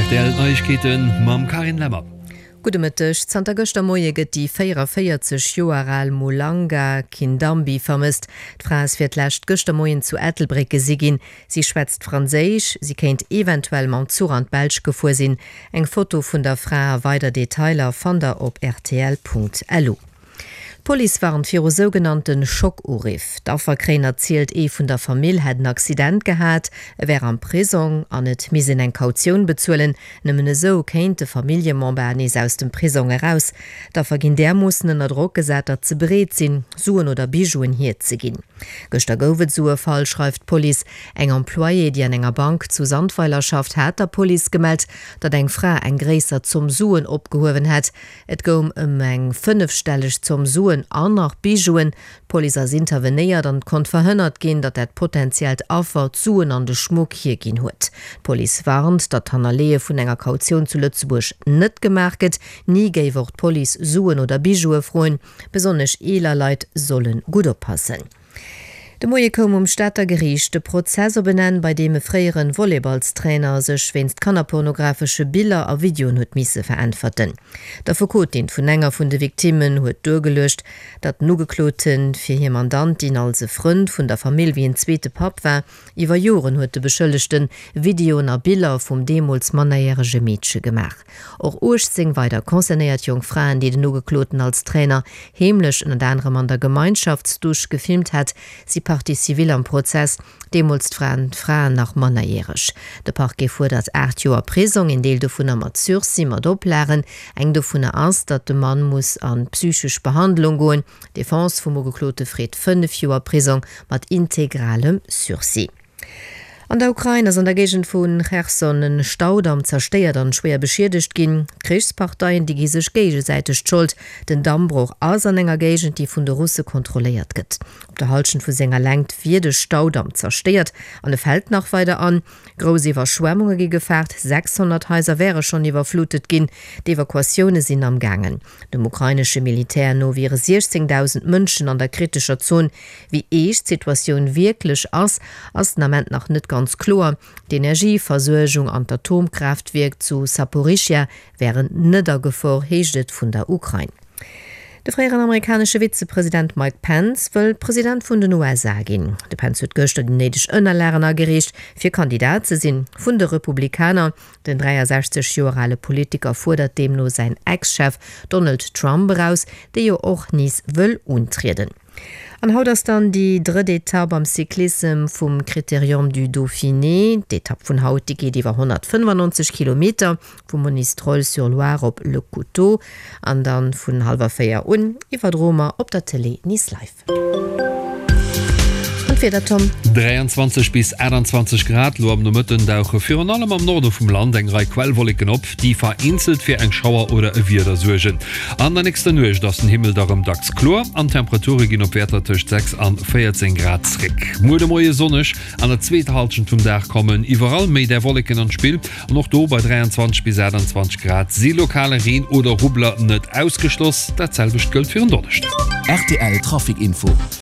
Rtl Neiegkeeten mam Carine Lemmer. Gudde Mëtteg. Zanter gëschter Moie gëtt déi 44 Joer al Mulanga Kindambi vermësst. D'Fra ass fir d'lescht gëschter Moien zu Ettelbréck gesi ginn. Si schwätzt Franséisch. Si kéint eventuell mam Zuch an d'Belsch gefuer sinn. Eng Foto vun der Fra a weider Detailer fannt der op rtl.lu. D'Police warnt viru sougenannte Schockuriff. D'Affer kréien erzielt, ee vun der Famill hätt en Accident gehat, e wär am Prisong an et misst een eng Kautioun bezuelen. Nëmmen esou kéint de Familljemember nees aus dem Prisong eraus. D'Affer ginn därmoossen ënner Drock gesat, datt se bereet sinn, Suen oder Bijouen hierzeginn. Gëschter gouf et esou e Fall, schreift d'Police. Eng Employée, déi an enger Bank zu Sandweiler schafft, hat der Police gemellt, datt eng Fra eng gréisser Zomm Suen opgehuewen hätt. Et goung ëm eng fënnefstelleg Zomm Suen an nach Bijouen. D'Police ass intervenéiert an et konnt verhënnert ginn, datt dat potentiellt Affer d'Suen an de Schmuck hierginn huet. D'Police warnt, datt d'Hannerleeë vun enger Kautioun zu Lëtzebuerg net gemaach gëtt. Ni géif och d'Police Suen oder Bijoue froen. Besonnesch eeler Leit solle gutt oppassen. De Moie koum um Stater Geriicht de Prozess op en Enn, bei deem e fréiere Volleyballstrainer sech wéinst kannerpornografesche Biller a Videoen huet misse veräntwerten. D'Affekotin vun enger vun de Victimmen huet duergeluecht, datt den Ugeklote fir hir Mandantin als e Frënd vun der Famill wéi en zweete Papp war. Iwwer Joren huet de Beschëllegte Videoen a Biller vum deemools mannerjärege Meedche gemaach. Och 18 weider concernéiert jonk Fraen, déi den Ugekloten als Trainer heemlech ënnert anerem an der Gemeinschaftsdusch gefilmt hätt, si Partie civile am Prozess. Deemools waren d'Fraen nach mannerjäreg. De Parquet fuerdert 8 Joer Prisong, een Deel dovunner mat Sursis, mat Oplagen. Eng dovunner ass, datt de Mann muss an d'psychesch Behandlung goen. D'Defense vum Ugeklote freet 5 Joer Prisong mat integralem Sursis. An der Ukrain ass an der Géigend vu Cherson en Staudamm zerstéiert an schwéier beschiedegt ginn. D'Krichsparteien, déi gi sech géigesäiteg d'Schold. Den Dammbroch ass an enger Géigend, déi vun de Russe kontrolléiert gëtt. Op der Hallschent vu senger Längt wier de Staudamm zerstéiert an e fält nach weider an. Grouss Iwwerschwemmunge gi gefaart, 600 Haiser wäre schonn iwwerflutet ginn. D'Evakuatioune sinn am gaangen. Dem ukrainesche Militär no wiere 16.000 Mënschen an der kritescher Zon. Wéi eescht d'Situatioun wierklech ass, ass den Ament nach net ganz kloer. D'Energieversuergung an d'Atomkraaftwierk zu Saporischschja wären net a Gefor, heescht et vun der Ukrain. De fréieren amerikanesche Vizepresident Mike Pence wëll President vun den USA ginn. De Pence huet gëschter déi néideg Ënnerlagen agereecht, fir Kandidat ze sinn vun de Republikaner. Den 63 Joer ale Politiker fuerdert deemno säin Ex-Chef Donald Trump eraus, dee jo och nees wëll untrieden. An haut ass dann déi drëtt Etapp am Cyclissem vum Critérium du Dauphiné. D'Etapp vun haut, déi geet iwwer 195 Kilometer vu Monistrol-sur-Loire op Le Couteau an dann vun hallwer 4 un iwwer Romer op der Télé Nice Live. An d'Wieder, Tom? 23 bis 28 Grad, lo am Nomëtten dauche virun allem am Norde vum Land eng Rei Quellwolleken op, déi vereenzelt fir eng Schauer oder e Wieder suergen. An der nächster Nuecht ass den Himmel da rëm dacks kloer an d'Temperature ginn op Wäerter tëscht 6 an 14 Grad zréck. Muer de Moie sonneg, an der zweeter Hallschent vum Dag kommen iwwerall méi där Wolleken an d'Spill an och do bei 23 bis 28 Grad si lokale Reen oder Rubbler net ausgeschloss. Dat selwecht gëllt fir en Donneschden. Rtl Trafic Info.